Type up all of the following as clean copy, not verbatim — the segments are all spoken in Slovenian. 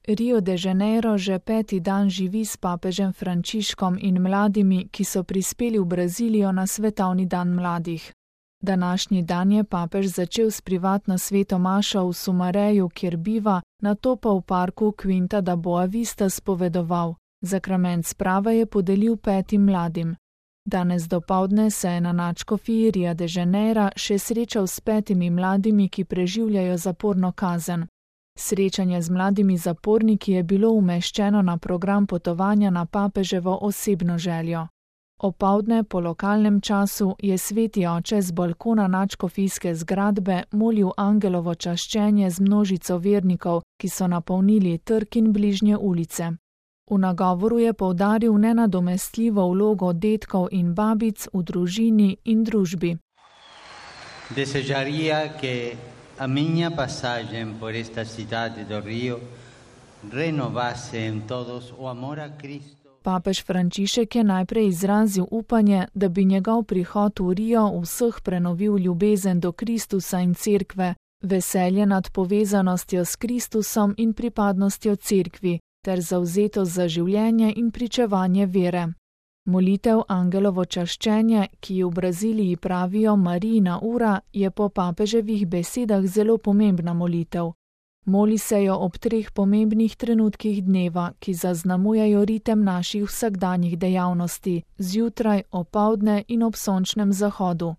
Rio de Janeiro že 5. dan živi s papežem Frančiškom in mladimi, ki so prispeli v Brazilijo na svetovni dan mladih. Današnji dan je papež začel s privatno sveto mašo v Sumareju, kjer biva, nato pa v parku Quinta da Boa Vista spovedoval. Zakrament sprave je podelil 5 mladim. Danes dopoldne se je na nadškofiji Ria de Janeira še srečal s 5 mladimi, ki preživljajo zaporno kazen. Srečanje z mladimi zaporniki je bilo umeščeno na program potovanja na papeževo osebno željo. Opoldne po lokalnem času je sveti oče z balkona nadškofijske zgradbe molil angelovo čaščenje z množico vernikov, ki so napolnili trg in bližnje ulice. V nagovoru je poudaril nenadomestljivo vlogo dedkov in babic v družini in družbi. Desejaría que a minha passagem por esta cidade do Rio renovase en todos o amor a Cristo. Papež Frančišek je najprej izrazil upanje, da bi njegov prihod v Rio vseh prenovil ljubezen do Kristusa in cerkve, veselje nad povezanostjo s Kristusom in pripadnostjo cerkvi, ter zavzetost za življenje in pričevanje vere. Molitev angelovo čaščenje, ki ji v Braziliji pravijo Marijina ura, je po papeževih besedah zelo pomembna molitev. Moli se jo ob 3 pomembnih trenutkih dneva, ki zaznamujejo ritem naših vsakdanjih dejavnosti, zjutraj, opoldne in ob sončnem zahodu.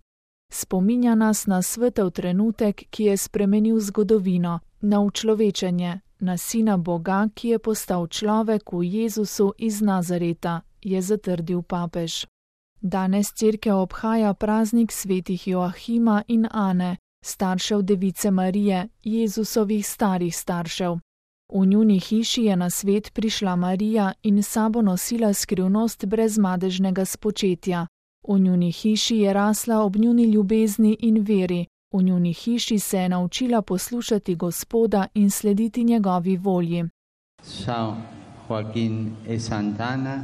Spominja nas na svetel trenutek, ki je spremenil zgodovino, na učlovečenje, na Sina Boga, ki je postal človek v Jezusu iz Nazareta, je zatrdil papež. Danes cerkev obhaja praznik svetih Joahima in Ane, staršev Device Marije, Jezusovih starih staršev. V njuni hiši je na svet prišla Marija in sabo nosila skrivnost brezmadežnega spočetja. V njuni hiši je rasla ob njuni ljubezni in veri. V njuni hiši se je naučila poslušati Gospoda in slediti njegovi volji. São Joaquim e Santana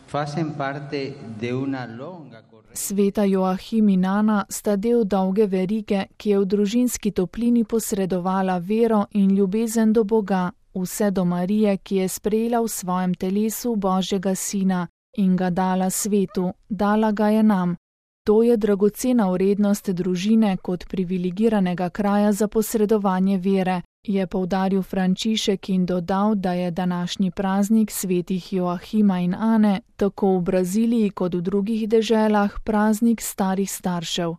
facen parte de una longa. Sveta Joahim in Ana sta del dolge verige, ki je v družinski toplini posredovala vero in ljubezen do Boga, vse do Marije, ki je sprejela v svojem telesu Božjega Sina in ga dala svetu, dala ga je nam. To je dragocena vrednost družine kot privilegiranega kraja za posredovanje vere, je poudaril Frančišek in dodal, da je današnji praznik svetih Joahima in Ane tako v Braziliji kot v drugih deželah praznik starih staršev.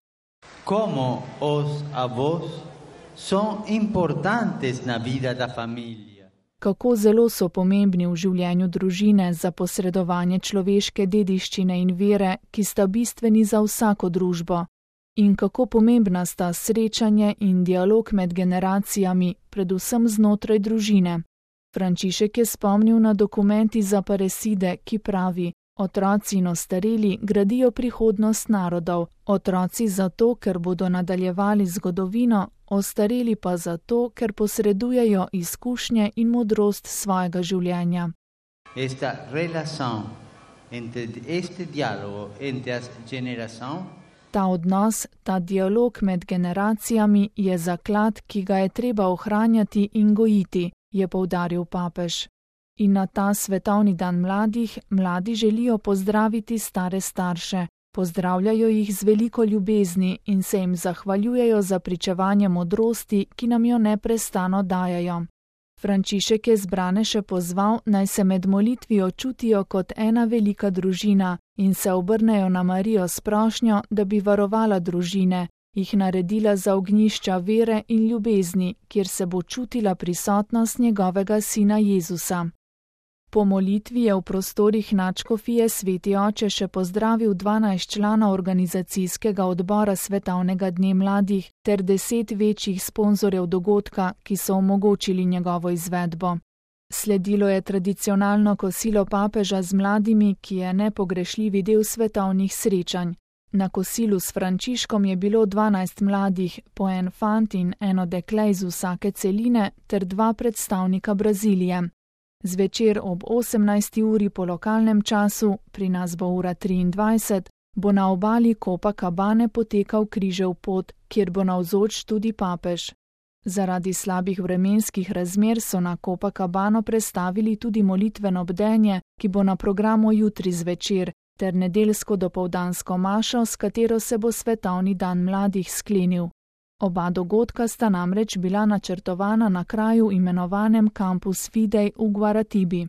Como os avós son importantes na vida da familia. Kako zelo so pomembni v življenju družine za posredovanje človeške dediščine in vere, ki sta bistveni za vsako družbo. In kako pomembna sta srečanje in dialog med generacijami, predvsem znotraj družine. Frančišek je spomnil na dokument iz Aparecide, ki pravi: otroci in ostareli gradijo prihodnost narodov, otroci zato, ker bodo nadaljevali zgodovino, ostareli pa zato, ker posredujejo izkušnje in modrost svojega življenja. Esta relación entre este diálogo entre las generaciones. Ta odnos, ta dialog med generacijami je zaklad, ki ga je treba ohranjati in gojiti, je poudaril papež. In na ta svetovni dan mladih, mladi želijo pozdraviti stare starše, pozdravljajo jih z veliko ljubezni in se jim zahvaljujejo za pričevanje modrosti, ki nam jo neprestano dajajo. Frančišek je zbrane še pozval, naj se med molitvijo čutijo kot ena velika družina in se obrnejo na Marijo s prošnjo, da bi varovala družine, jih naredila za ognjišča vere in ljubezni, kjer se bo čutila prisotnost njegovega sina Jezusa. Po molitvi je v prostorih nadškofije sveti oče še pozdravil 12 članov organizacijskega odbora Svetovnega dne mladih ter 10 večjih sponzorjev dogodka, ki so omogočili njegovo izvedbo. Sledilo je tradicionalno kosilo papeža z mladimi, ki je nepogrešljivi del svetovnih srečanj. Na kosilu s Frančiškom je bilo 12 mladih, po en fant in eno dekle iz vsake celine ter 2 predstavnika Brazilije. Zvečer ob 18. uri po lokalnem času, pri nas bo ura 23, bo na obali Copacabane potekal križev pot, kjer bo navzoč tudi papež. Zaradi slabih vremenskih razmer so na Copacabano prestavili tudi molitveno bdenje, ki bo na programu jutri zvečer, ter nedeljsko dopoldansko mašo, s katero se bo svetovni dan mladih sklenil. Oba dogodka sta namreč bila načrtovana na kraju imenovanem Campus Fidei v Guaratibi.